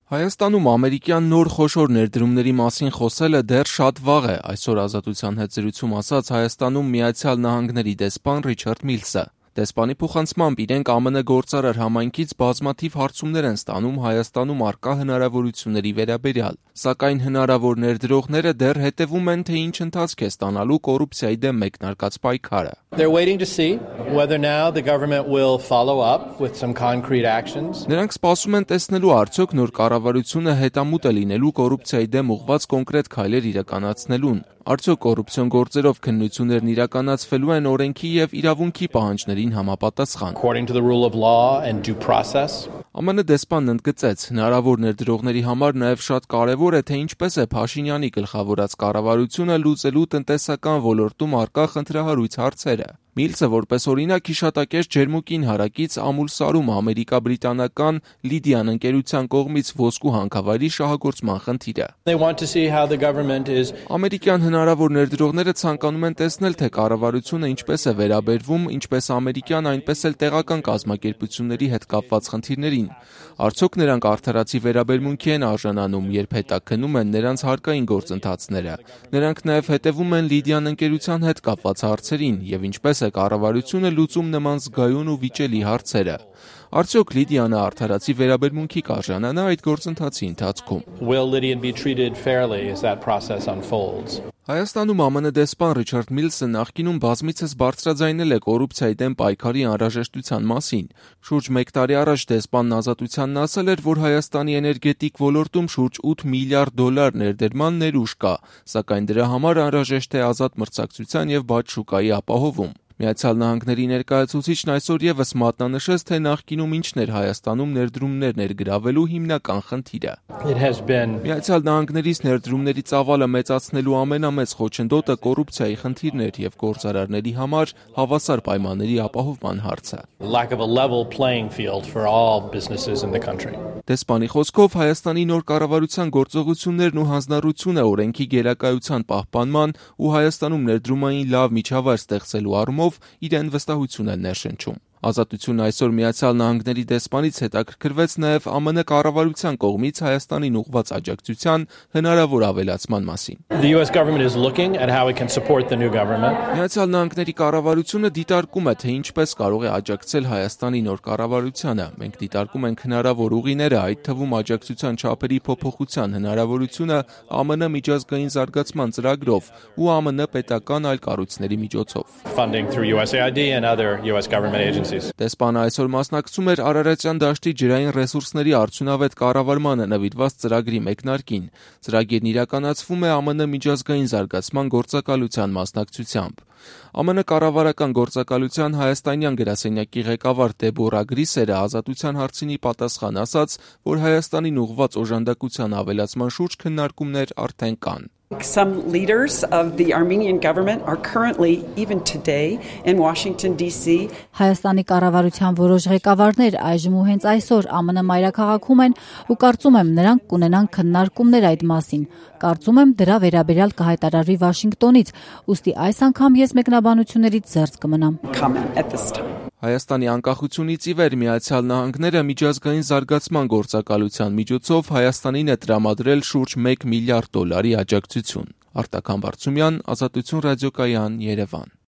Հայաստանում ամերիկյան նոր խոշոր ներդրումների մասին խոսելը դեռ շատ վաղ է, այսօր Ազատության հետ զրույցում ասաց Հայաստանում Միացյալ Նահանգների դեսպան Ռիչարդ Միլսը։ Դեսպանի փոխանցմամբ իրենք ԱՄՆ գործարար համայնքից բազմաթիվ հարցումներ են ստանում Հայաստանում առկա հնարավորությունների վերաբերյալ, սակայն հնարավոր ներդրողները դեռ հետևում են, թե ինչ ընթացք է ստանալու կոռուպցիայի դեմ մեկնարկած պայքարը։ Նրանք սպասում են տեսնելու արդյոք նոր կառավարությունը հետամուտ է լինելու կոռուպցիայի դեմ ուղղված կոնկրետ քայլեր իրականացնելուն, արդյոք կոռուպցիոն գործերով քննություններն իրականացվելու են օրենքի և իրավունքի պահանջներին համապատասխան։ ԱՄՆ դեսպանն ընդգծեց, հնարավոր ներդրողների համար նաև շատ կարևոր է, թե ինչպես է Փաշինյանի գլխավորած կառավարությունը լուծելու տնտեսական ոլորտում առկա խնդրահարույց հարցերը։ Միլսը որպես օրինակ հիշատակեց Ջերմուկին հարակից Ամուլսարում ամերիկա-բրիտանական Լիդիան ընկերության կողմից ոսկու հանքավայրի շահագործման խնդիրը։ Ամերիկյան հնարավոր ներդրողները ցանկանում են տեսնել, թե կառավարությունը ինչպես է վերաբերվում ինչպես ամերիկյան, այնպես էլ տեղական կազմակերպությունների հետ կապված խնդիրներին։ Արդյոք նրանք արդարացի վերաբերմունքի են արժանանում, երբ հետաքննում են նրանց հարկային գործընթացները։ Նրանք նաև հետևում են Լիդիան ընկերության հետ կապված հարցերին և ինչպես է կառավարությունը լուծում նման զգայուն ու վիճելի հարցերը։ Արդյոք Լիդիանը արդարացի վերաբերմունքի կարժանանա այդ գործընթացի ընթացքում։ Հայաստանում ԱՄՆ դեսպան Ռիչարդ Միլսը նախկինում բազմիցս բարձրաձայնել է կոռուպցիայի դեմ պայքարի անհրաժեշտության մասին։ Շուրջ 1 տարի առաջ դեսպանն Ազատությանն ասել էր, որ Հայաստանի էներգետիկ ոլորտում շուրջ $8 միլիարդ ներդրման ներուժ կա, սակայն դրա համար անհրաժեշտ է ազատ մրցակցության և բաց շուկայի ապահովում։ Միացյալ Նահանգների ներկայացուցիչն այսօր ևս մատնանշեց, թե նախկինում ինչն էր Հայաստանում ներդրումներ ներգրավելու հիմնական խնդիրը։ Միացյալ Նահանգներից ներդրումների ծավալը մեծացնելու ամենամեծ խոչընդոտը կոռուպցիայի խնդիրն էր և գործարարների համար հավասար պայմանների ապահովման հարցը։ Դեսպանի խոսքով Հայաստանի նոր կառավարության գործողություններն ու հանձնառությունը օրենքի գերակայության պահպանման ու Հայաստանում ներդրումային լավ միջավայր ստեղծելու առումով իրեն վստահություն են ներշնչում։ Ազատությունն այսօր Միացյալ Նահանգների դեսպանից հետաքրքրվեց նաև ԱՄՆ կառավարության կողմից Հայաստանին ուղղված աջակցության հնարավոր ավելացման մասին։ Միացյալ Նահանգների կառավարությունը դիտարկում է, թե ինչպես կարող է աջակցել Հայաստանի նոր կառավարությանը։ Մենք դիտարկում ենք հնարավոր ուղիները, այդ թվում աջակցության չափերի փոփոխության հնարավորությունը ԱՄՆ միջազգային զարգացման ծրագրով ու ԱՄՆ պետական այլ կառույցների միջոցով։ Դեսպանը այսօր մասնակցում էր Արարատյան դաշտի ջրային ռեսուրսների արդյունավետ կառավարմանը նվիրված ծրագրի մեկնարկին։ Ծրագիրն իրականացվում է ԱՄՆ միջազգային զարգացման գործակալության մասնակցությամբ։ ԱՄՆ կառավարական գործակալության հայաստանյան գրասենյակի ղեկավար Դեբորա Գրիսերը Ազատության հարցինի պատասխան ասաց, որ Հայաստանին ուղղված օժանդակության ավելացման շուրջ քննարկումներ արդեն կան։ Some leaders of the Armenian government are currently, even today, in Washington, D.C. Հայաստանի կառավարության որոշ ղեկավարներ այժմ ու հենց այսօր ԱՄՆ մայրաքաղաքում են ու կարծում եմ նրանք կունենան քննարկումներ այդ մասին։ Կարծում եմ դրա վերաբերյալ կհայտարարվի Վաշինգտոնից, ուստի այս անգամ ես մեկնաբանություններից զերծ կմնամ։ Հայաստանի անկախությունից ի վեր Միացյալ Նահանգները միջազգային զարգացման գործակալության միջոցով Հայաստանին է տրամադրել շուրջ $1 միլիարդ աջակցություն։ Արտակ Համբարձումյան, Ազատություն ռադիոկայան, Երևան։